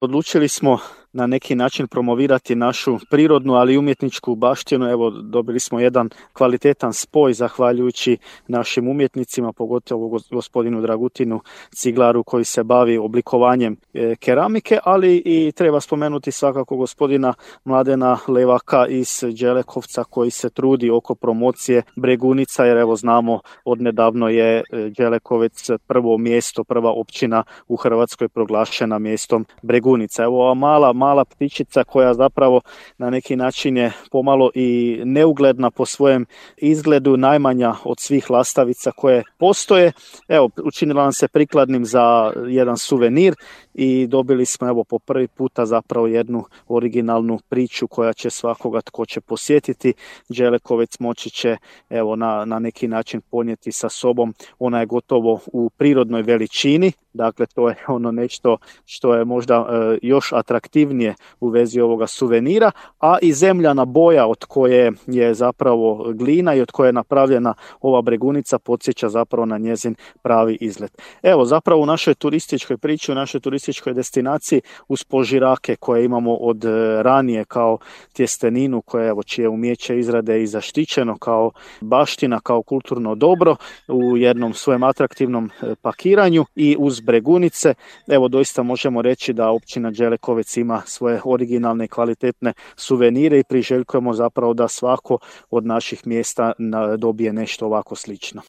Odlučili smo na neki način promovirati našu prirodnu, ali i umjetničku baštinu. Evo, dobili smo jedan kvalitetan spoj zahvaljujući našim umjetnicima, pogotovo gospodinu Dragutinu Ciglaru koji se bavi oblikovanjem keramike, ali i treba spomenuti svakako gospodina Mladena Levaka iz Đelekovca koji se trudi oko promocije Bregunica, jer evo znamo odnedavno je Đelekovec prvo mjesto, prva općina u Hrvatskoj proglašena mjestom Bregunica. Evo ova mala ptičica koja zapravo na neki način je pomalo i neugledna po svojem izgledu, najmanja od svih lastavica koje postoje. Evo, učinila nam se prikladnim za jedan suvenir i dobili smo evo po prvi puta zapravo jednu originalnu priču koja će svakoga tko će posjetiti Đelekovec moći će evo na neki način ponijeti sa sobom. Ona je gotovo u prirodnoj veličini, dakle to je ono nešto što je možda još atraktivnije u vezi ovoga suvenira, a i zemljana boja od koje je zapravo glina i od koje je napravljena ova Bregunica podsjeća zapravo na njezin pravi izgled. Evo zapravo u našoj turističkoj priči, u našoj turističkoj destinaciji uz požirake koje imamo od ranije kao tjesteninu koje evo čije umijeće izrade i zaštićeno kao baština, kao kulturno dobro u jednom svojem atraktivnom pakiranju i uz Bregunice, evo doista možemo reći da općina Đelekovec ima svoje originalne i kvalitetne suvenire i priželjkujemo zapravo da svako od naših mjesta dobije nešto ovako slično.